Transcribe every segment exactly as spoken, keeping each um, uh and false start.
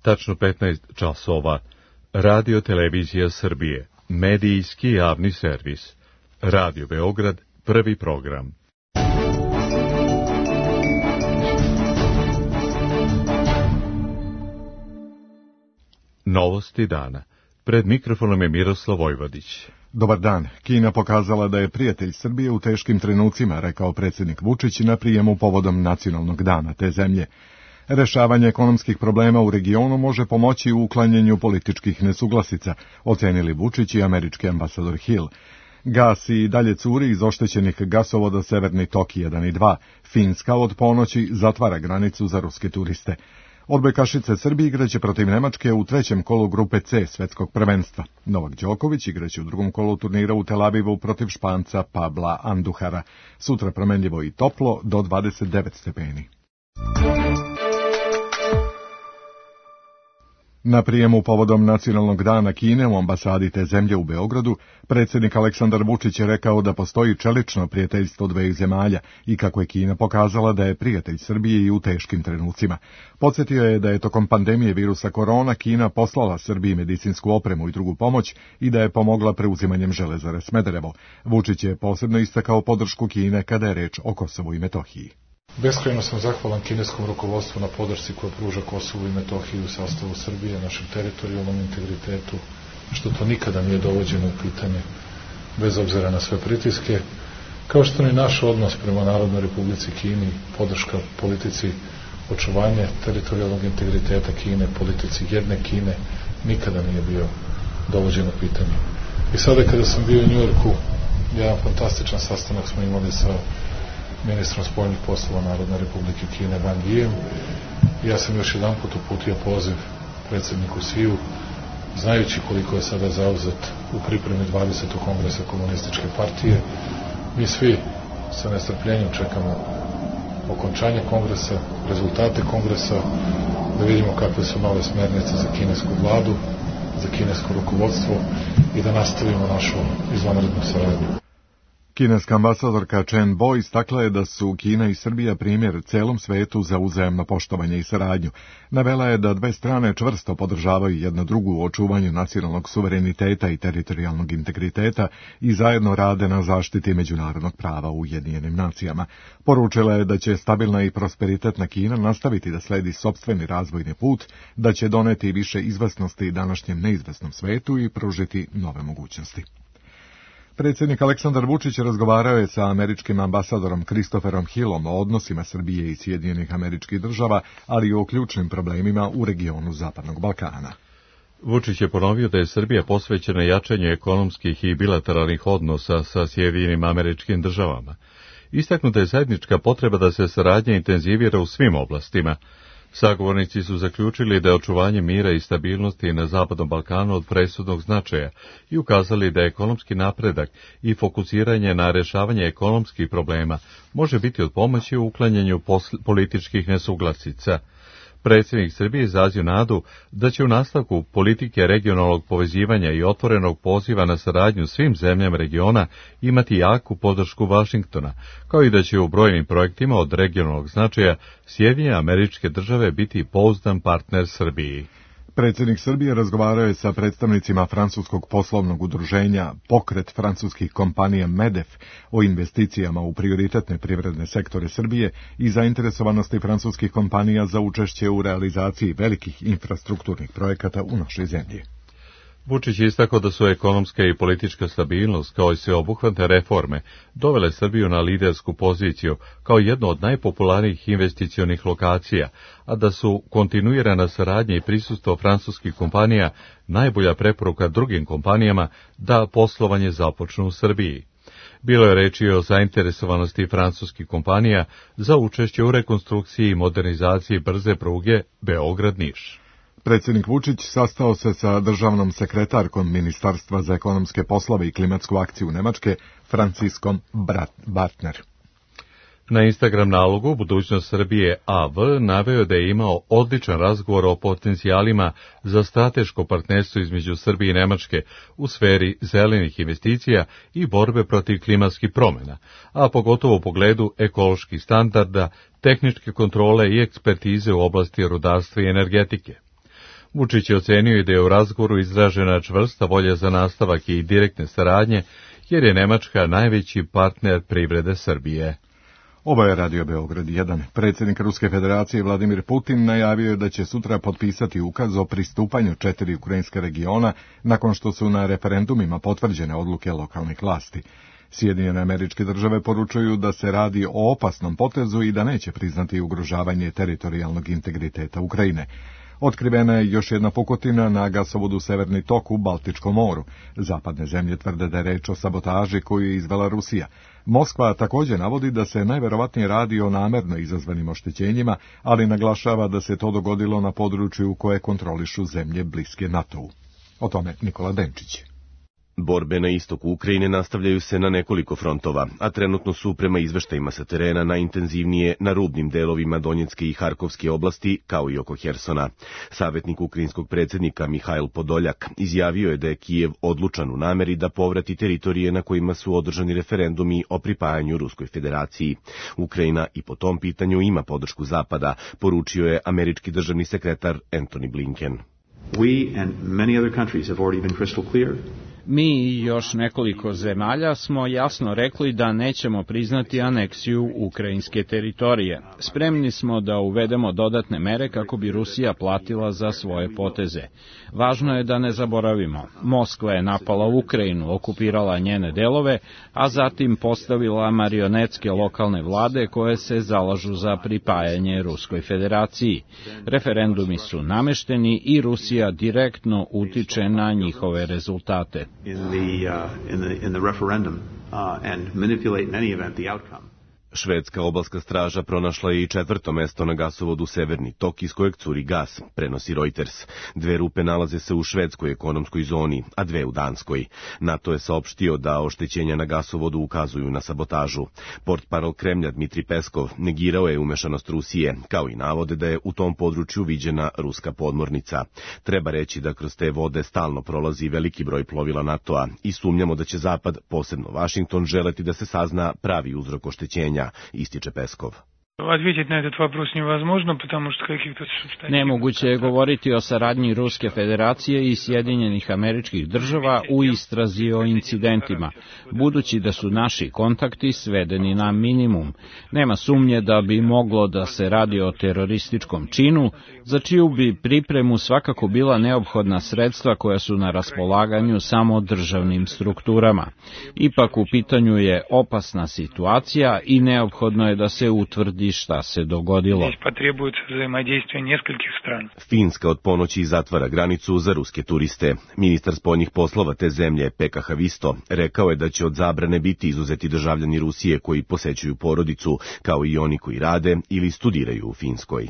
tačno petnaest časova. Radio Televizija Srbije, medijski javni servis. Radio Beograd, prvi program. Novosti dana. Pred mikrofonom je Miroslav Vojvodić. Dobar dan. Kina pokazala da je prijatelj Srbije u teškim trenucima, rekao predsjednik Vučić na prijemu povodom nacionalnog dana te zemlje. Rešavanje ekonomskih problema u regionu može pomoći u uklanjanju političkih nesuglasica, ocenili Vučić i američki ambasador Hill. Gas i dalje curi iz oštećenih gasovoda Severni tok jedan i dva. Finska od ponoći zatvara granicu za ruske turiste. Odbojkašice Srbije igraće protiv Nemačke u trećem kolu grupe C svetskog prvenstva. Novak Đoković igraće u drugom kolu turnira u Tel Avivu protiv Španca Pabla Anduhara. Sutra promenljivo i toplo do dvadeset devet stepeni. Na prijemu povodom nacionalnog dana Kine u ambasadi te zemlje u Beogradu, predsjednik Aleksandar Vučić je rekao da postoji čelično prijateljstvo dveju zemalja i kako je Kina pokazala da je prijatelj Srbije i u teškim trenucima. Podsjetio je da je tokom pandemije virusa korona Kina poslala Srbiji medicinsku opremu i drugu pomoć i da je pomogla preuzimanjem železare Smederevo. Vučić je posebno istakao podršku Kine kada je reč o Kosovu i Metohiji. Beskrajno sam zahvalan kineskom rukovodstvu na podršci koja pruža Kosovu i Metohiji u sastavu Srbije, našem teritorijalnom integritetu, što to nikada nije dovođeno u pitanje, bez obzira na sve pritiske, kao što ni naš odnos prema Narodnoj Republici Kini, podrška politici očuvanja teritorijalnog integriteta Kine, politici jedne Kine, nikada nije bio dovođen u pitanje. I sada kada sam bio u Njujorku, jedan fantastičan sastanak smo imali sa ministrom spoljnih poslova Narodne Republike Kine Wang Yijem. Ja sam još jedan put uputio poziv predsjedniku Siju, znajući koliko je sada zauzet u pripremi dvadesetog kongresa komunističke partije. Mi svi sa nestrpljenjem čekamo okončanje kongresa, rezultate kongresa, da vidimo kakve su nove smjernice za kinesku vladu, za kinesko rukovodstvo i da nastavimo našu izvanrednu saradnju. Kineska ambasadorka Chen Bo istakla je da su Kina i Srbija primjer celom svetu za uzajamno poštovanje i saradnju. Navela je da dve strane čvrsto podržavaju jedna drugu u očuvanju nacionalnog suvereniteta i teritorijalnog integriteta i zajedno rade na zaštiti međunarodnog prava u Ujedinjenim nacijama. Poručila je da će stabilna i prosperitetna Kina nastaviti da sledi sopstveni razvojni put, da će doneti više izvesnosti današnjem neizvesnom svetu i pružiti nove mogućnosti. Predsjednik Aleksandar Vučić razgovarao je sa američkim ambasadorom Christopherom Hillom o odnosima Srbije i Sjedinjenih Američkih Država, ali i o ključnim problemima u regionu Zapadnog Balkana. Vučić je ponovio da je Srbija posvećena jačanju ekonomskih i bilateralnih odnosa sa Sjedinjenim Američkim Državama. Istaknuta je zajednička potreba da se saradnja intenzivira u svim oblastima. Sagovornici su zaključili da je očuvanje mira i stabilnosti na Zapadnom Balkanu od presudnog značaja i ukazali da ekonomski napredak i fokusiranje na rešavanje ekonomskih problema može biti od pomoći u uklanjanju političkih nesuglasica. Predsjednik Srbije izrazio nadu da će u nastavku politike regionalnog povezivanja i otvorenog poziva na saradnju svim zemljama regiona imati jaku podršku Vašingtona, kao i da će u brojnim projektima od regionalnog značaja Sjedinjene Američke Države biti pouzdan partner Srbiji. Predsjednik Srbije razgovarao je sa predstavnicima francuskog poslovnog udruženja Pokret francuskih kompanija MEDEF o investicijama u prioritetne privredne sektore Srbije i zainteresovanosti francuskih kompanija za učešće u realizaciji velikih infrastrukturnih projekata u našoj zemlji. Vučić je istakao da su ekonomska i politička stabilnost, kao i sveobuhvatne reforme, dovele Srbiju na lidersku poziciju kao jednu od najpopularnijih investicionih lokacija, a da su kontinuirana saradnja i prisustvo francuskih kompanija najbolja preporuka drugim kompanijama da poslovanje započnu u Srbiji. Bilo je reči o zainteresovanosti francuskih kompanija za učešće u rekonstrukciji i modernizaciji brze pruge Beograd-Niš. Predsjednik Vučić sastao se sa državnom sekretarkom Ministarstva za ekonomske poslove i klimatsku akciju Nemačke, Franciskom Bartner. Na Instagram nalogu Budućnost Srbije A V naveo da je imao odličan razgovor o potencijalima za strateško partnerstvo između Srbije i Nemačke u sferi zelenih investicija i borbe protiv klimatskih promjena, a pogotovo u pogledu ekoloških standarda, tehničke kontrole i ekspertize u oblasti rudarstva i energetike. Vučić je ocenio da je u razgovoru izražena čvrsta volja za nastavak i direktne saradnje, jer je Nemačka najveći partner privrede Srbije. Ovo je Radio Beograd jedan. Predsjednik Ruske federacije Vladimir Putin najavio je da će sutra potpisati ukaz o pristupanju četiri ukrajinske regiona nakon što su na referendumima potvrđene odluke lokalnih vlasti. Sjedinjene Američke Države poručuju da se radi o opasnom potezu i da neće priznati ugrožavanje teritorijalnog integriteta Ukrajine. Otkrivena je još jedna pukotina na gasovodu Severni tok u Baltičkom moru. Zapadne zemlje tvrde da je reč o sabotaži koju je izvela Rusija. Moskva također navodi da se najverovatnije radi o namerno izazvanim oštećenjima, ali naglašava da se to dogodilo na području koje kontrolišu zemlje bliske NATO-u. O tome Nikola Denčić. Borbe na istoku Ukrajine nastavljaju se na nekoliko frontova, a trenutno su prema izveštajima sa terena najintenzivnije na rubnim delovima Donjecke i Harkovske oblasti, kao i oko Hersona. Savjetnik ukrajinskog predsjednika Mihajl Podoljak izjavio je da je Kijev odlučan u nameri da povrati teritorije na kojima su održani referendumi o pripajanju Ruskoj federaciji. Ukrajina i po tom pitanju ima podršku Zapada, poručio je američki državni sekretar Antony Blinken. We and many other countries have already been crystal clear. Mi i još nekoliko zemalja smo jasno rekli da nećemo priznati aneksiju ukrajinske teritorije. Spremni smo da uvedemo dodatne mere kako bi Rusija platila za svoje poteze. Važno je da ne zaboravimo. Moskva je napala Ukrajinu, okupirala njene delove, a zatim postavila marionetske lokalne vlade koje se zalažu za pripajanje Ruskoj federaciji. Referendumi su namešteni i Rusija direktno utiče na njihove rezultate. In the, uh, in the, in the referendum uh, and manipulate in any event the outcome. Švedska obalska straža pronašla je i četvrto mesto na gasovodu Severni tok iz kojeg curi gas, prenosi Reuters. Dve rupe nalaze se u švedskoj ekonomskoj zoni, a dve u Danskoj. NATO je saopštio da oštećenja na gasovodu ukazuju na sabotažu. Portparol Kremlja Dmitri Peskov negirao je umešanost Rusije, kao i navode da je u tom području viđena ruska podmornica. Treba reći da kroz te vode stalno prolazi veliki broj plovila NATO-a i sumnjamo da će Zapad, posebno Vašington, želeti da se sazna pravi uzrok oštećenja, ističe Peskov. Nemoguće je govoriti o saradnji Ruske federacije i Sjedinjenih Američkih Država u istrazi o incidentima, budući da su naši kontakti svedeni na minimum. Nema sumnje da bi moglo da se radi o terorističkom činu, za čiju bi pripremu svakako bila neophodna sredstva koja su na raspolaganju samo državnim strukturama. Ipak u pitanju je opasna situacija i neophodno je da se utvrdi šta se dogodilo. Finska od ponoći zatvara granicu za ruske turiste. Ministar spoljnih poslova te zemlje, Pekka Havisto, rekao je da će od zabrane biti izuzeti državljani Rusije koji posećuju porodicu, kao i oni koji rade ili studiraju u Finskoj.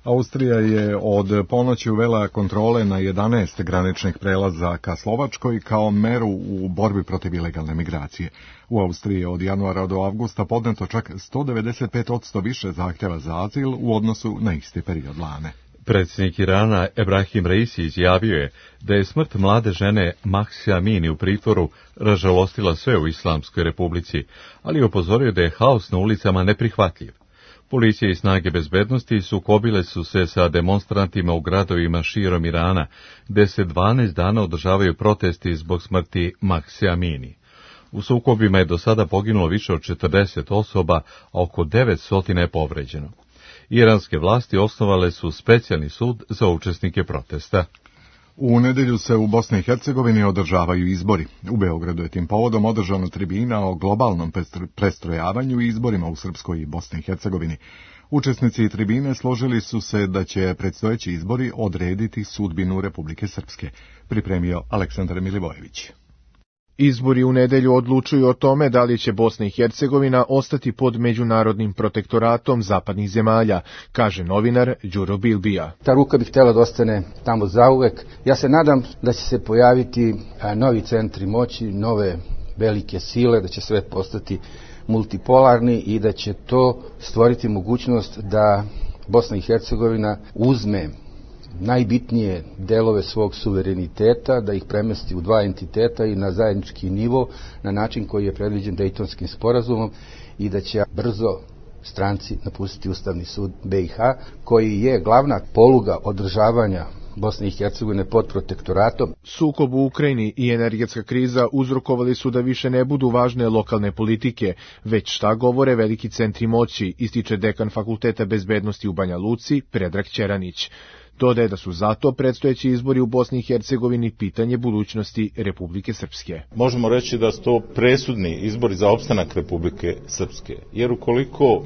Austrija je od ponoći uvela kontrole na jedanaest graničnih prelaza ka Slovačkoj kao meru u borbi protiv ilegalne migracije. U Austriji je od januara do avgusta podneto čak sto devedeset pet posto više zahtjeva za azil u odnosu na isti period lane. Predsjednik Irana Ebrahim Raisi izjavio je da je smrt mlade žene Mahsa Amini u pritvoru ražalostila sve u Islamskoj republici, ali je upozorio da je haos na ulicama neprihvatljiv. Policija i snage bezbednosti sukobile su se sa demonstrantima u gradovima širom Irana, gde se dvanaest dana održavaju protesti zbog smrti Mahse Amini. U sukobima je do sada poginulo više od četrdeset osoba, a oko devetsto je povređeno. Iranske vlasti osnovale su specijalni sud za učesnike protesta. U nedjelju se u Bosni i Hercegovini održavaju izbori. U Beogradu je tim povodom održana tribina o globalnom prestrojavanju i izborima u Srpskoj i Bosni i Hercegovini. Učesnici tribine složili su se da će predstojeći izbori odrediti sudbinu Republike Srpske, pripremio Aleksandar Milivojević. Izbori u nedelju odlučuju o tome da li će Bosna i Hercegovina ostati pod međunarodnim protektoratom zapadnih zemalja, kaže novinar Đuro Bilbija. Ta ruka bi htjela da ostane tamo zauvek. Ja se nadam da će se pojaviti novi centri moći, nove velike sile, da će svet postati multipolarni i da će to stvoriti mogućnost da Bosna i Hercegovina uzme najbitnije delove svog suvereniteta, da ih premesti u dva entiteta i na zajednički nivo, na način koji je predviđen Dejtonskim sporazumom i da će brzo stranci napustiti Ustavni sud B i H, koji je glavna poluga održavanja Bosne i Hercegovine pod protektoratom. Sukob u Ukrajini i energetska kriza uzrokovali su da više ne budu važne lokalne politike, već šta govore veliki centri moći, ističe dekan Fakulteta bezbednosti u Banja Luci, Predrag Ćeranić. Dodaje da su zato predstojeći izbori u Bosni i Hercegovini pitanje budućnosti Republike Srpske. Možemo reći da su to presudni izbori za opstanak Republike Srpske, jer ukoliko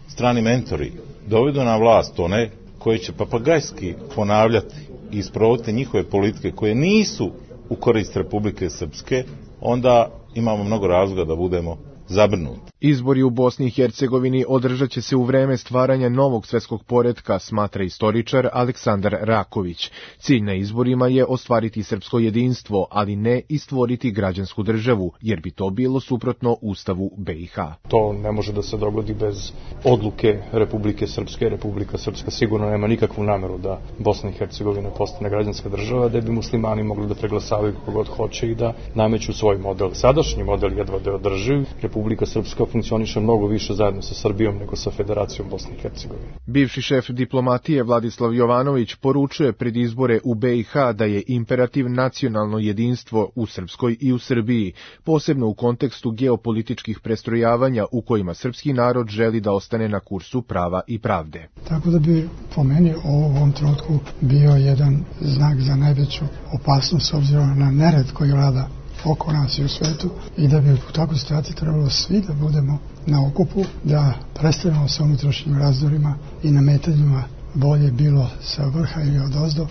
strani mentori dovedu na vlast one koji će papagajski ponavljati i isprovoditi njihove politike koje nisu u korist Republike Srpske, onda imamo mnogo razloga da budemo zabrinuti. Izbori u Bosni i Hercegovini održat će se u vreme stvaranja novog svetskog poretka, smatra istoričar Aleksandar Raković. Cilj na izborima je ostvariti srpsko jedinstvo, ali ne i stvoriti građansku državu, jer bi to bilo suprotno Ustavu B i H. To ne može da se dogodi bez odluke Republike Srpske. Republika Srpska sigurno nema nikakvu nameru da Bosna i Hercegovina postane građanska država, da bi muslimani mogli da preglasavaju kako god hoće i da nameću svoj model. Sadašnji model jedva da je održiv. Republika Srpska funkcioniše mnogo više zajedno sa Srbijom nego sa Federacijom Bosne i Hercegovine. Bivši šef diplomatije Vladislav Jovanović poručuje pred izbore u B i H da je imperativ nacionalno jedinstvo u Srpskoj i u Srbiji, posebno u kontekstu geopolitičkih prestrojavanja u kojima srpski narod želi da ostane na kursu prava i pravde. Tako da bi po meni u ovom trenutku bio jedan znak za najveću opasnost s obzirom na nered koji vlada oko nas i u svetu i da bi u takvoj situaciji trebalo svi da budemo na okupu, da prestanemo sa unutrašnjim razdorima i nametanjima bolje bilo sa vrha ili odozdo,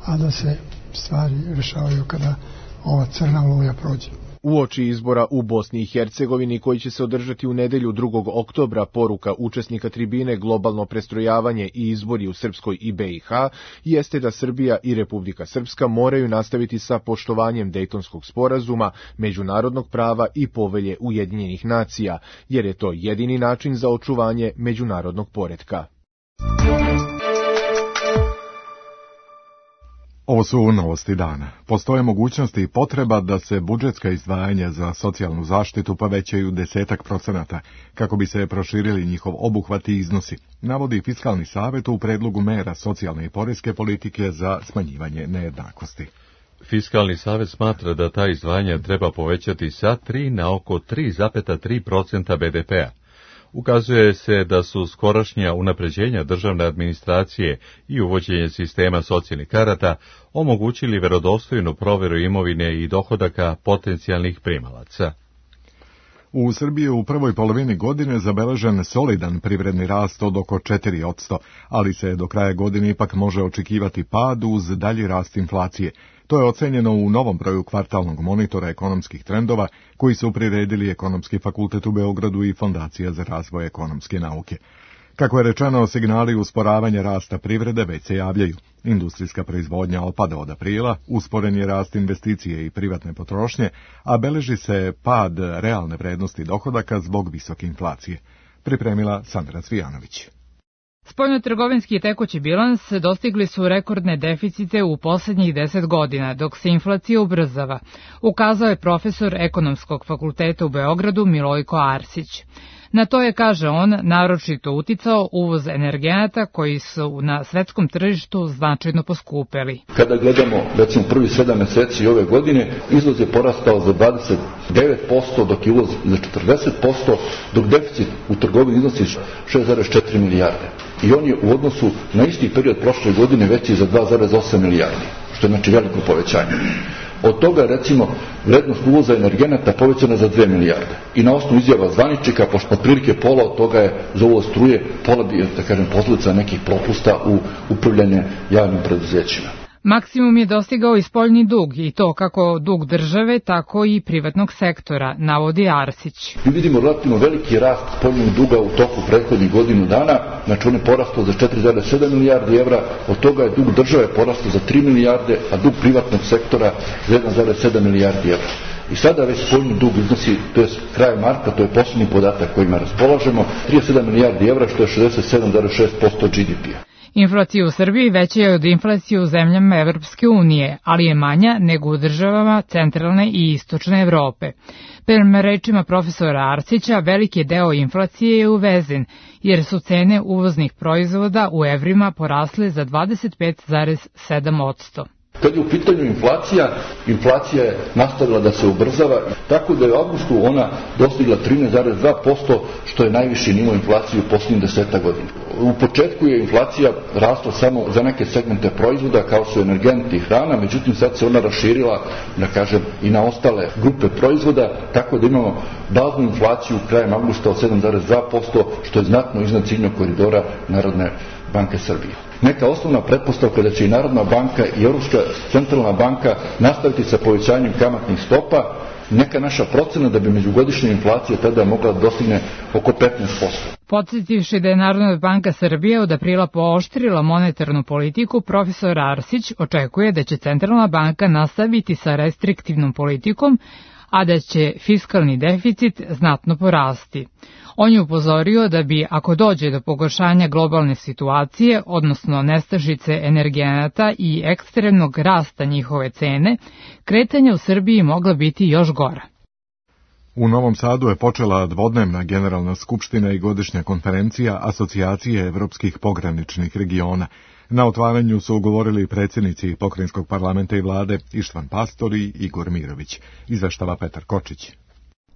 a da se stvari rešavaju kada ova crna oluja prođe. Uoči izbora u Bosni i Hercegovini koji će se održati u nedelju drugog oktobra, poruka učesnika tribine Globalno prestrojavanje i izbori u Srpskoj i B i H jeste da Srbija i Republika Srpska moraju nastaviti sa poštovanjem Dejtonskog sporazuma, međunarodnog prava i povelje Ujedinjenih nacija, jer je to jedini način za očuvanje međunarodnog poretka. Ovo su novosti dana. Postoje mogućnosti i potreba da se budžetska izdvajanja za socijalnu zaštitu povećaju desetak procenata, kako bi se proširili njihov obuhvat i iznosi, navodi Fiskalni savet u predlogu mera socijalne i poreske politike za smanjivanje nejednakosti. Fiskalni savet smatra da ta izdvajanja treba povećati sa tri na oko tri zarez tri procenta be de pea. Ukazuje se da su skorašnja unapređenja državne administracije i uvođenje sistema socijalnih karata omogućili verodostojnu proveru imovine i dohodaka potencijalnih primalaca. U Srbiji u prvoj polovini godine zabeležen solidan privredni rast od oko četiri posto, ali se do kraja godine ipak može očekivati pad uz dalji rast inflacije. To je ocenjeno u novom broju kvartalnog monitora ekonomskih trendova koji su priredili Ekonomski fakultet u Beogradu i Fondacija za razvoj ekonomske nauke. Kako je rečeno, signali usporavanja rasta privrede već se javljaju. Industrijska proizvodnja opada od aprila, usporen je rast investicije i privatne potrošnje, a beleži se pad realne vrednosti dohodaka zbog visoke inflacije. Pripremila Sandra Cvijanović. Spoljnotrgovinski i tekući bilans dostigli su rekordne deficite u poslednjih deset godina, dok se inflacija ubrzava, ukazao je profesor Ekonomskog fakulteta u Beogradu Milojko Arsić. Na to je, kaže on, naročito uticao uvoz energenata koji su na svetskom tržištu značajno poskupeli. Kada gledamo, recimo, prvi sedam meseci ove godine, izvoz je porastao za dvadeset devet posto, dok je uvoz za četrdeset posto, dok deficit u trgovini iznosi šest zarez četiri milijarde. I on je u odnosu na isti period prošle godine veći za dva zarez osam milijardi, što je znači veliko povećanje. Od toga, recimo, vrednost uvoza energenata povećana za dve milijarde. I na osnovu izjava zvaničnika, pošto otprilike pola od toga je za uvoz struje, pola bi, da kažem, posljedica nekih propusta u upravljanje javnim preduzećima. Maksimum je dostigao i spoljni dug, i to kako dug države, tako i privatnog sektora, navodi Arsić. Mi vidimo relativno veliki rast spoljnog duga u toku prethodnih godinu dana, znači on je porastao za četiri zarez sedam milijardi evra, od toga je dug države porastao za tri milijarde, a dug privatnog sektora za jedan zarez sedam milijardi evra. I sada već spoljni dug iznosi, to je kraj marta, to je posljednji podatak kojima raspolažemo, trideset sedam milijardi evra, što je šezdeset sedam zarez šest posto ge de pea. Inflacija u Srbiji veća je od inflacije u zemljama Evropske unije, ali je manja nego u državama centralne i istočne Evrope. Prema rečima profesora Arsića, veliki deo inflacije je uvezen, jer su cene uvoznih proizvoda u evrima porasle za dvadeset pet zarez sedam posto. Kad je u pitanju inflacija, inflacija je nastavila da se ubrzava, tako da je u avgustu ona dostigla trinaest zarez dva posto, što je najviši nivo inflacije u posljednjih deseta godina. U početku je inflacija rasla samo za neke segmente proizvoda, kao su energenti i hrana, međutim sad se ona raširila, da kažem, i na ostale grupe proizvoda, tako da imamo baznu inflaciju krajem avgusta od sedam zarez dva posto, što je znatno iznad ciljnog koridora Narodne banke Srbije. Neka osnovna pretpostavka da će i Narodna banka i Europska centralna banka nastaviti sa povećanjem kamatnih stopa, neka naša procena da bi međugodišnja inflacija tada mogla da dostigne oko petnaest posto. Podsjetivši da je Narodna banka Srbije od aprila pooštrila monetarnu politiku, profesor Arsić očekuje da će centralna banka nastaviti sa restriktivnom politikom, a da će fiskalni deficit znatno porasti. On je upozorio da bi, ako dođe do pogoršanja globalne situacije, odnosno nestašice energenata i ekstremnog rasta njihove cene, kretanja u Srbiji mogla biti još gora. U Novom Sadu je počela dvodnevna generalna skupština i godišnja konferencija Asocijacije evropskih pograničnih regiona. Na otvaranju su ugovorili predsjednici Pokrajinskog parlamenta i vlade Ištvan Pastor i Igor Mirović. Izveštava Petar Kočić.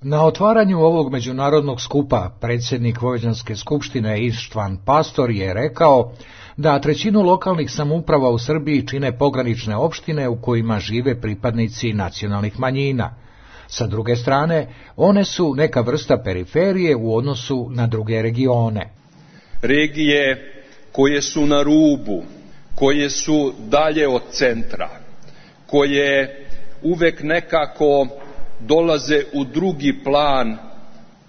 Na otvaranju ovog međunarodnog skupa predsjednik Vojvođanske skupštine Ištvan Pastor je rekao da trećinu lokalnih samouprava u Srbiji čine pogranične opštine u kojima žive pripadnici nacionalnih manjina. Sa druge strane, one su neka vrsta periferije u odnosu na druge regione. Regije koje su na rubu, koje su dalje od centra, koje uvek nekako dolaze u drugi plan,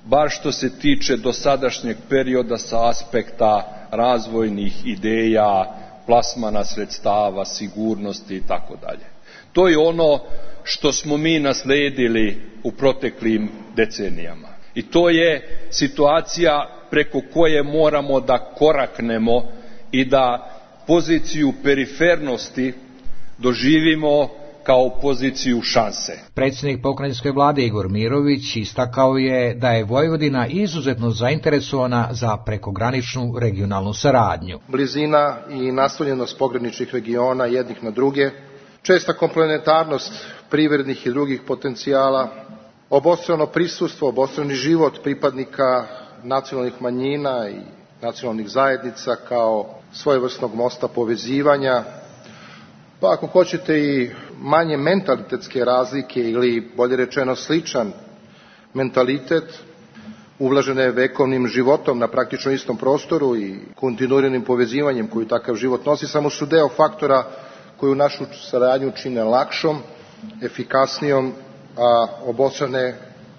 bar što se tiče dosadašnjeg perioda sa aspekta razvojnih ideja, plasmana sredstava, sigurnosti i tako dalje. To je ono što smo mi nasledili u proteklim decenijama. I to je situacija preko koje moramo da koraknemo i da poziciju perifernosti doživimo kao poziciju šanse. Predsjednik pokrajinske vlade Igor Mirović istakao je da je Vojvodina izuzetno zainteresovana za prekograničnu regionalnu saradnju. Blizina i naslonjenost pograničnih regiona jednih na druge, česta komplementarnost privrednih i drugih potencijala, obostrano prisustvo, obostrani život pripadnika nacionalnih manjina i nacionalnih zajednica kao svojevrsnog mosta povezivanja, pa ako hoćete i manje mentalitetske razlike ili bolje rečeno sličan mentalitet, uvlažene vekovnim životom na praktično istom prostoru i kontinuiranim povezivanjem koju takav život nosi, samo su deo faktora koju našu saradnju čine lakšom, efikasnijom, a obostrane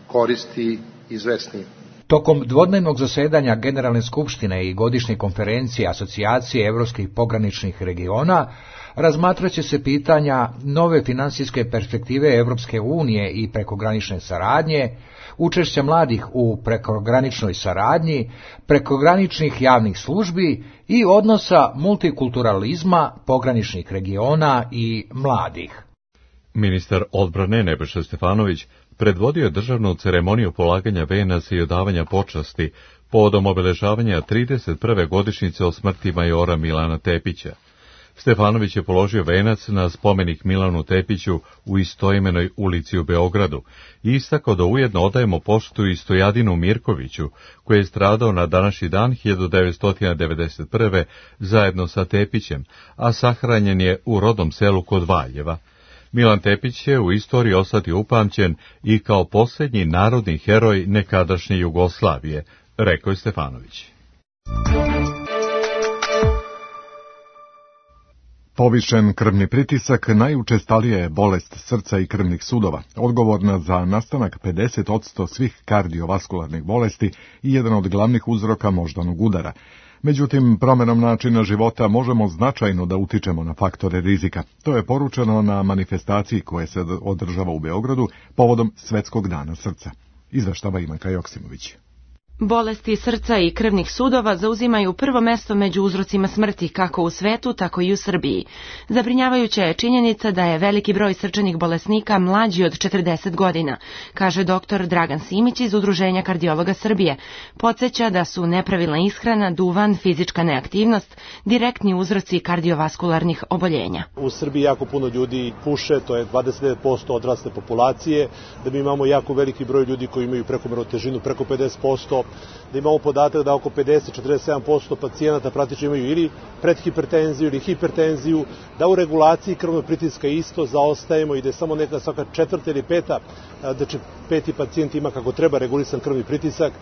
koristi izvesnijim. Tokom dvodnevnog zasedanja Generalne skupštine i godišnje konferencije Asocijacije evropskih pograničnih regiona razmatraće se pitanja nove finansijske perspektive Evropske unije i prekogranične saradnje, učešća mladih u prekograničnoj saradnji, prekograničnih javnih službi i odnosa multikulturalizma pograničnih regiona i mladih. Ministar odbrane Nebojša Stefanović predvodio je državnu ceremoniju polaganja venaca i odavanja počasti povodom obeležavanja trideset prve godišnjice od smrti majora Milana Tepića. Stefanović je položio venac na spomenik Milanu Tepiću u istoimenoj ulici u Beogradu i istakao da ujedno odajemo poštu i Stojadinu Mirkoviću, koji je stradao na današnji dan hiljadu devetsto devedeset prve zajedno sa Tepićem, a sahranjen je u rodnom selu kod Valjeva. Milan Tepić će u istoriji ostati upamćen i kao posljednji narodni heroj nekadašnje Jugoslavije, rekao je Stefanović. Povišen krvni pritisak najučestalija je bolest srca i krvnih sudova, odgovorna za nastanak pedeset posto svih kardiovaskularnih bolesti i jedan od glavnih uzroka moždanog udara. Međutim, promjenom načina života možemo značajno da utičemo na faktore rizika. To je poručeno na manifestaciji koja se održava u Beogradu povodom Svetskog dana srca. Izveštava Ivanka Joksimović. Bolesti srca i krvnih sudova zauzimaju prvo mesto među uzrocima smrti kako u svetu, tako i u Srbiji. Zabrinjavajuća je činjenica da je veliki broj srčanih bolesnika mlađi od četrdeset godina, kaže doktor Dragan Simić iz Udruženja kardiologa Srbije. Podsjeća da su nepravilna ishrana, duvan, fizička neaktivnost direktni uzroci kardiovaskularnih oboljenja. U Srbiji jako puno ljudi puše, to je dvadeset devet posto odrasle populacije, da mi imamo jako veliki broj ljudi koji imaju prekomernu težinu, preko pedeset posto, da imamo podatak da oko pedeset do četrdeset sedam posto pacijenata praktično imaju ili predhipertenziju ili hipertenziju, da u regulaciji krvnog pritiska isto zaostajemo i da je samo neka svaka četvrta ili peta, da će peti pacijent ima kako treba regulisan krvni pritisak,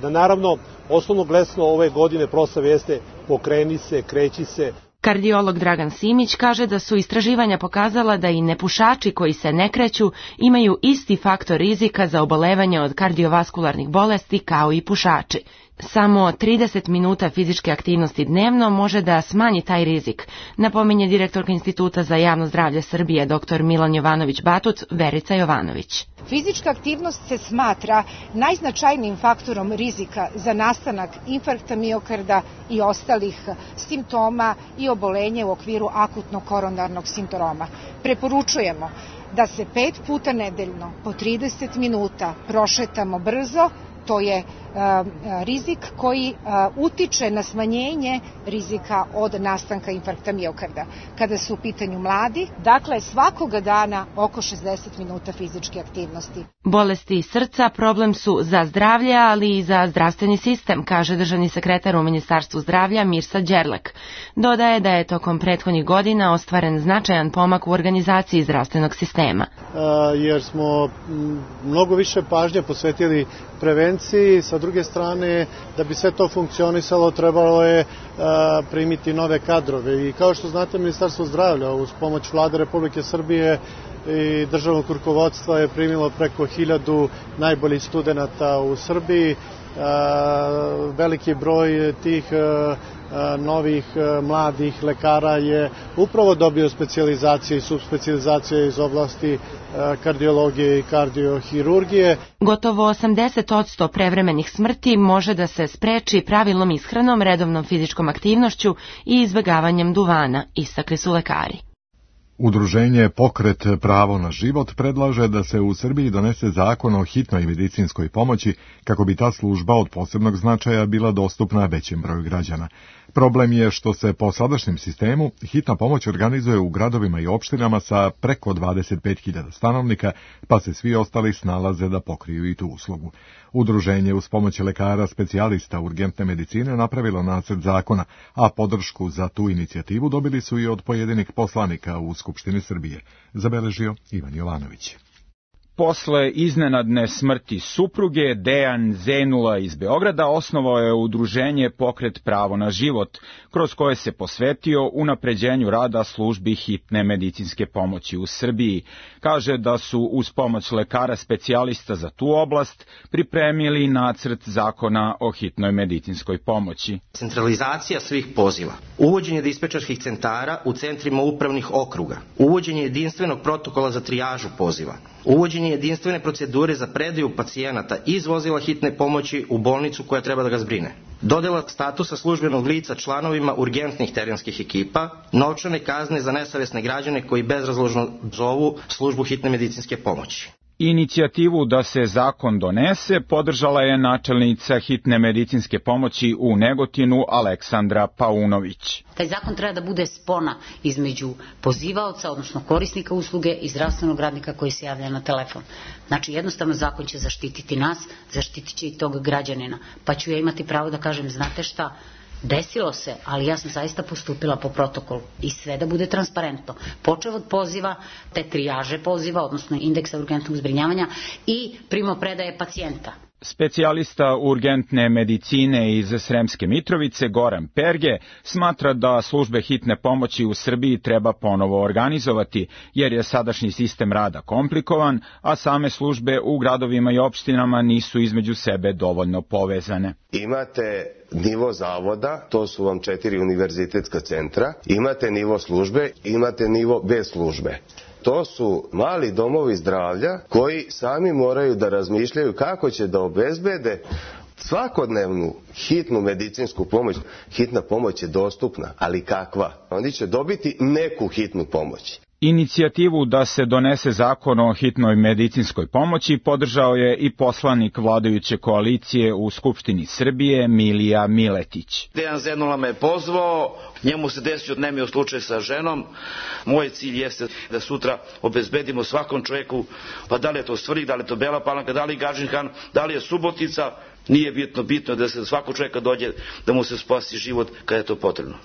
da naravno osnovno glesno ove godine proslave jeste pokreni se, kreći se. Kardiolog Dragan Simić kaže da su istraživanja pokazala da i nepušači koji se ne kreću imaju isti faktor rizika za obolevanje od kardiovaskularnih bolesti kao i pušači. Samo trideset minuta fizičke aktivnosti dnevno može da smanji taj rizik, napominje direktorka Instituta za javno zdravlje Srbije dr Milan Jovanović-Batut, Verica Jovanović. Fizička aktivnost se smatra najznačajnijim faktorom rizika za nastanak infarkta miokarda i ostalih simptoma i obolenja u okviru akutnog koronarnog sindroma. Preporučujemo da se pet puta nedeljno po trideset minuta prošetamo brzo. To je a, rizik koji a, utiče na smanjenje rizika od nastanka infarkta miokarda. Kada su u pitanju mladi, dakle svakoga dana oko šezdeset minuta fizičke aktivnosti. Bolesti srca problem su za zdravlje, ali i za zdravstveni sistem, kaže državni sekretar u Ministarstvu zdravlja Mirsa Đerlek. Dodaje da je tokom prethodnih godina ostvaren značajan pomak u organizaciji zdravstvenog sistema. A, jer smo mnogo više pažnje posvetili prevenciji, sa druge strane, da bi sve to funkcionisalo, trebalo je a, primiti nove kadrove. I kao što znate, Ministarstvo zdravlja uz pomoć Vlade Republike Srbije i državnog rukovodstva je primilo preko hiljadu najboljih studenata u Srbiji. A, veliki broj tih a, a, novih a, mladih lekara je upravo dobio specijalizacije i subspecijalizacije iz oblasti a, kardiologije i kardiohirurgije. Gotovo osamdeset posto prevremenih smrti može da se spreči pravilnom ishranom, redovnom fizičkom aktivnošću i izbegavanjem duvana, istakli su lekari. Udruženje Pokret pravo na život predlaže da se u Srbiji donese zakon o hitnoj medicinskoj pomoći kako bi ta služba od posebnog značaja bila dostupna većem broju građana. Problem je što se po sadašnjem sistemu hitna pomoć organizuje u gradovima i opštinama sa preko dvadeset pet hiljada stanovnika, pa se svi ostali snalaze da pokriju i tu uslugu. Udruženje uz pomoć lekara specijalista urgentne medicine napravilo nacrt zakona, a podršku za tu inicijativu dobili su i od pojedinih poslanika u Skupštini Srbije, zabeležio Ivan Jovanović. Posle iznenadne smrti supruge, Dejan Zenula iz Beograda osnovao je udruženje Pokret pravo na život, kroz koje se posvetio unapređenju rada službi hitne medicinske pomoći u Srbiji. Kaže da su uz pomoć lekara specijalista za tu oblast pripremili nacrt zakona o hitnoj medicinskoj pomoći. Centralizacija svih poziva, uvođenje dispečerskih centara u centrima upravnih okruga, uvođenje jedinstvenog protokola za trijažu poziva, uvođenje jedinstvene procedure za predaju pacijenata iz vozila hitne pomoći u bolnicu koja treba da ga zbrine, dodela statusa službenog lica članovima urgentnih terenskih ekipa, novčane kazne za nesavesne građane koji bezrazložno zovu službu hitne medicinske pomoći. Inicijativu da se zakon donese podržala je načelnica hitne medicinske pomoći u Negotinu Aleksandra Paunović. Taj zakon treba da bude spona između pozivaoca, odnosno korisnika usluge i zdravstvenog radnika koji se javlja na telefon. Znači jednostavno zakon će zaštititi nas, zaštitit će i tog građanina. Pa ću ja imati pravo da kažem, znate šta, desilo se, ali ja sam zaista postupila po protokolu i sve da bude transparentno. Počev od poziva, te trijaže poziva, odnosno indeksa urgentnog zbrinjavanja i primopredaje pacijenta. Specijalista urgentne medicine iz Sremske Mitrovice, Goran Perge, smatra da službe hitne pomoći u Srbiji treba ponovo organizovati, jer je sadašnji sistem rada komplikovan, a same službe u gradovima i opštinama nisu između sebe dovoljno povezane. Imate nivo zavoda, to su vam četiri univerzitetska centra, imate nivo službe, imate nivo bez službe. To su mali domovi zdravlja koji sami moraju da razmišljaju kako će da obezbede svakodnevnu hitnu medicinsku pomoć. Hitna pomoć je dostupna, ali kakva? Oni će dobiti neku hitnu pomoć. Inicijativu da se donese zakon o hitnoj medicinskoj pomoći podržao je i poslanik vladajuće koalicije u Skupštini Srbije Milija Miletić. Dejan Zenula me pozvao, njemu se desio nemio slučaj sa ženom. Moj cilj jeste da sutra obezbedimo svakom čoveku, pa da li je to Svrljig, da li je to Bela Palanka, da li je Gadžin Han, da li je Subotica, nije bitno, bitno da se svako čoveka dođe da mu se spasi život kada je to potrebno.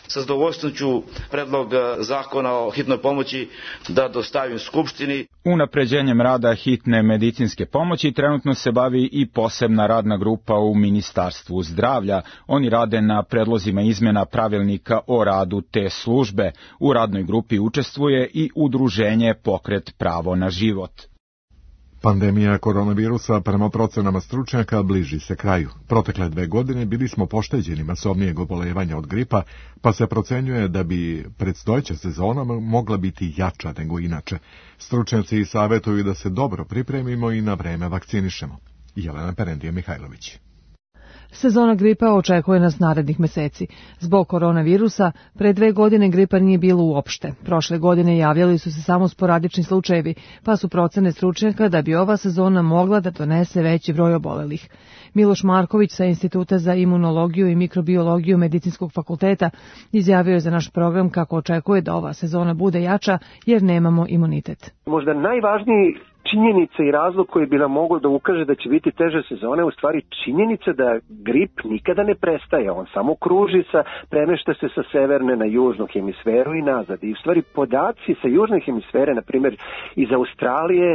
Sa zadovoljstvom ću predlog zakona o hitnoj pomoći da dostavim Skupštini. Unapređenjem rada hitne medicinske pomoći trenutno se bavi i posebna radna grupa u Ministarstvu zdravlja. Oni rade na predlozima izmjena pravilnika o radu te službe. U radnoj grupi učestvuje i udruženje Pokret pravo na život. Pandemija koronavirusa prema procenama stručnjaka bliži se kraju. Protekle dve godine bili smo pošteđeni masovnijeg obolevanja od gripa, pa se procenjuje da bi predstojeća sezona mogla biti jača nego inače. Stručnjaci savjetuju da se dobro pripremimo i na vreme vakcinišemo. Jelena Perendija Mihajlović. Sezona gripa očekuje nas narednih meseci. Zbog koronavirusa, pre dve godine gripa nije bilo uopšte. Prošle godine javljali su se samo sporadični slučajevi, pa su procene stručnjaka da bi ova sezona mogla da donese veći broj obolelih. Miloš Marković sa Instituta za imunologiju i mikrobiologiju Medicinskog fakulteta izjavio je za naš program kako očekuje da ova sezona bude jača jer nemamo imunitet. Možda najvažniji činjenica i razlog koji bi nam mogao da ukaže da će biti teže sezone, u stvari činjenica da grip nikada ne prestaje, on samo kruži, sa, premešta se sa severne na južnu hemisferu i nazad. I u stvari podaci sa južne hemisfere, na primjer iz Australije,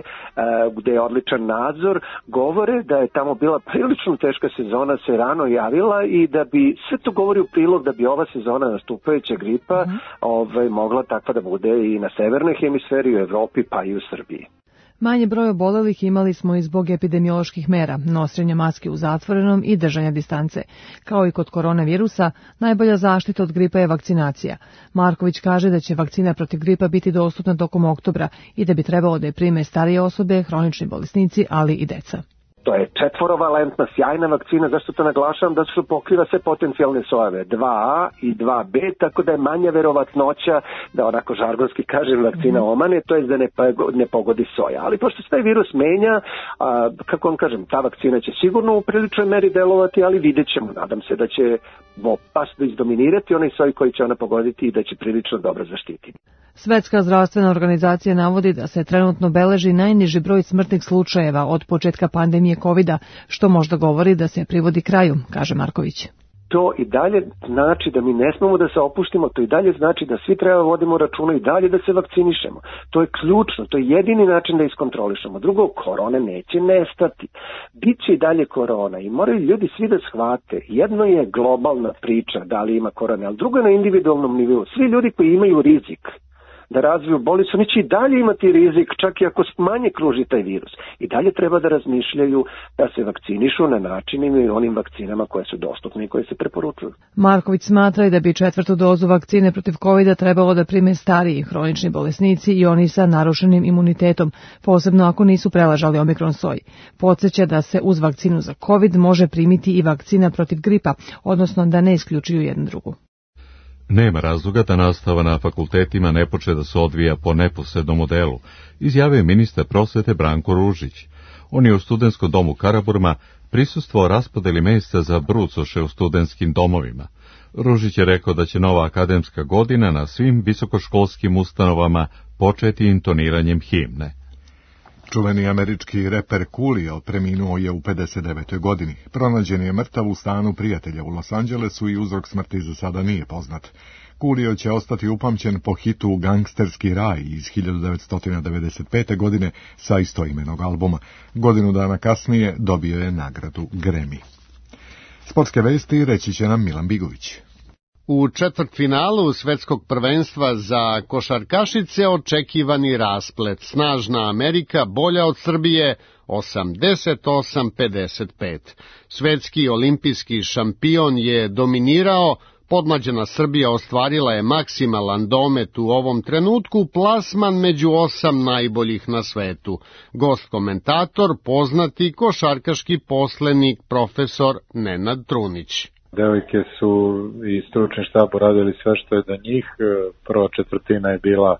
gde je odličan nadzor, govore da je tamo bila prilično teška sezona, se rano javila i da bi sve to govori u prilog da bi ova sezona nastupajuća gripa mm-hmm. ovaj, mogla takva da bude i na severnoj hemisferi, u Evropi pa i u Srbiji. Manje broj obolelih imali smo i zbog epidemioloških mera, nošenja maske u zatvorenom i držanja distance. Kao i kod koronavirusa, najbolja zaštita od gripa je vakcinacija. Marković kaže da će vakcina protiv gripa biti dostupna tokom oktobra i da bi trebalo da je prime starije osobe, hronični bolesnici, ali i deca. To je četvorovalentna, sjajna vakcina, zašto to naglašavam, da su pokriva sve potencijalne sojeve, dva A i dva B, tako da je manja verovatnoća da, onako žargonski kažem, vakcina omane, to je da ne, ne pogodi soja. Ali pošto se taj virus menja, a, kako vam kažem, ta vakcina će sigurno u priličnoj meri delovati, ali vidjet ćemo, nadam se da će opasno izdominirati onaj soj koji će ona pogoditi i da će prilično dobro zaštititi. Svetska zdravstvena organizacija navodi da se trenutno beleži najniži broj smrtnih slučajeva od početka pandemije kovida, što možda govori da se privodi kraju, kaže Marković. To i dalje znači da mi ne smemo da se opuštimo, to i dalje znači da svi treba vodimo računa i dalje da se vakcinišemo. To je ključno, to je jedini način da iskontrolišemo. Drugo, korona neće nestati. Biće i dalje korona i moraju ljudi svi da shvate. Jedno je globalna priča da li ima korona, ali drugo je na individualnom nivou. Svi ljudi koji imaju rizik da razviju bolest, oni će i dalje imati rizik, čak i ako manje kruži taj virus. I dalje treba da razmišljaju da se vakcinišu na načinima i onim vakcinama koje su dostupne i koje se preporučuju. Marković smatra i da bi četvrtu dozu vakcine protiv kovida trebalo da prime stariji hronični bolesnici i oni sa narušenim imunitetom, posebno ako nisu preležali omikron soj. Podsjeća da se uz vakcinu za covid može primiti i vakcina protiv gripa, odnosno da ne isključuju jednu drugu. Nema razloga da nastava na fakultetima ne počne da se odvija po neposrednom modelu, izjavio je ministar prosvete Branko Ružić. On je u studentskom domu Karaburma prisustvovao raspodeli mesta za brucoše u studentskim domovima. Ružić je rekao da će nova akademska godina na svim visokoškolskim ustanovama početi intoniranjem himne. Čuveni američki reper Coolio preminuo je u pedeset devetoj godini. Pronađen je mrtav u stanu prijatelja u Los Angelesu i uzrok smrti za sada nije poznat. Coolio će ostati upamćen po hitu Gangsterski raj iz hiljadu devetsto devedeset pete. godine sa istoimenog albuma. Godinu dana kasnije dobio je nagradu Grammy. Sportske vesti reći će nam Milan Bigović. U četvrtfinalu svetskog prvenstva za košarkašice očekivani rasplet. Snažna Amerika bolja od Srbije osamdeset osam pedeset pet. Svetski olimpijski šampion je dominirao, Podmlađena Srbija ostvarila je maksimalan domet u ovom trenutku, plasman među osam najboljih na svetu. Gost komentator, poznati košarkaški poslenik profesor Nenad Trunić. Devojke su i stručni štab uradili sve što je do njih. Prva četvrtina je bila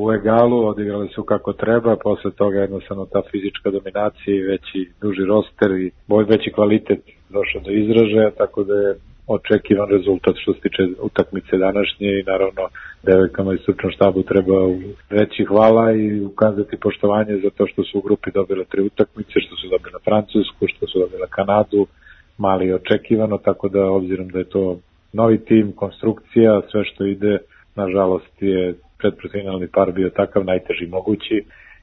u egalu, odigrali su kako treba, posle toga jednostavno ta fizička dominacija i veći, duži roster i veći kvalitet došao do izražaja, tako da je očekivan rezultat što se tiče utakmice današnje i naravno devojkama i stručnom štabu treba reći hvala i ukazati poštovanje za to što su u grupi dobile tri utakmice, što su dobile Francusku, što su dobile Kanadu, mali očekivano, tako da obzirom da je to novi tim, konstrukcija, sve što ide, nažalost je predprofinalni par bio takav najteži mogući,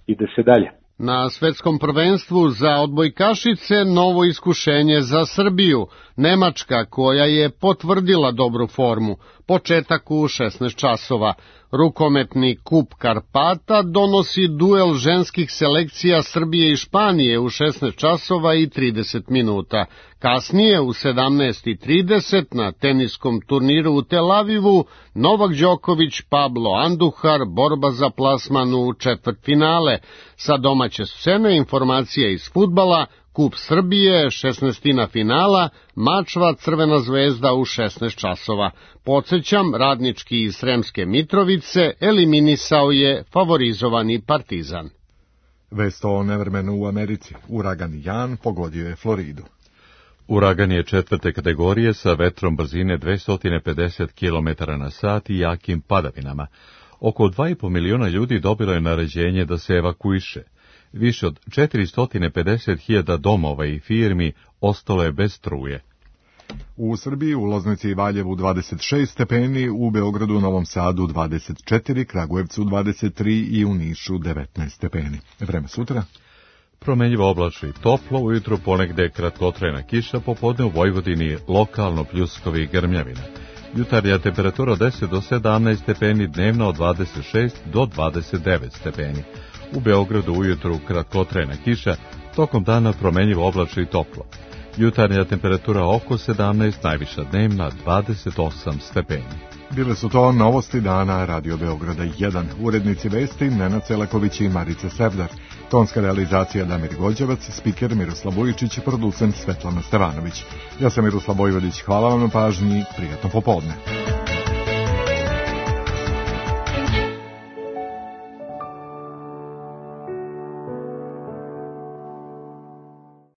ide se dalje. Na svetskom prvenstvu za odbojkašice novo iskušenje za Srbiju. Nemačka koja je potvrdila dobru formu. Početak u šesnaest časova. Rukometni kup Karpata donosi duel ženskih selekcija Srbije i Španije u šesnaest časova i trideset minuta. Kasnije u sedamnaest i trideset na teniskom turniru u Tel Avivu Novak Đoković, Pablo Andujar, borba za plasman u četvrtfinale. Sa domaće scene informacija iz fudbala, Kup Srbije, šesnaestina finala, Mačva Crvena zvezda u šesnaest časova. Podsećam, Radnički iz Sremske Mitrovice eliminisao je favorizovani Partizan. Vest o nevremenu u Americi. Uragan Jan pogodio je Floridu. Uragan je četvrte kategorije sa vetrom brzine dvesta pedeset kilometara na sat i jakim padavinama. Oko dva i po miliona ljudi dobilo je naređenje da se evakuiše. Više od četiristo pedeset hiljada domova i firmi ostalo je bez struje. U Srbiji u Loznici i Valjevu dvadeset šest stepeni, u Beogradu, Novom Sadu dvadeset četiri, Kragujevcu dvadeset tri i u Nišu devetnaest stepeni. Vreme sutra? Promenljivo oblačno i toplo, ujutru ponegde kratkotrajna kiša, popodne u Vojvodini lokalno pljuskovi i grmljavina. Jutarnja temperatura od deset do sedamnaest stepeni, dnevna od dvadeset šest do dvadeset devet stepeni. U Beogradu ujutru kratkotrajna kiša, tokom dana promenljivo oblačno i toplo. Jutarnja temperatura oko sedamnaest, najviša dnevna dvadeset osam stepeni. Bile su to novosti dana Radio Beograda jedan. Urednici vesti Nenad Celaković i Marica Sevdar. Tonska realizacija Damir Gođevac, spiker Miroslav Vujičić i producent Svetlana Stevanović. Ja sam Miroslav Vojvodić, hvala vam na pažnji, prijatno popodne.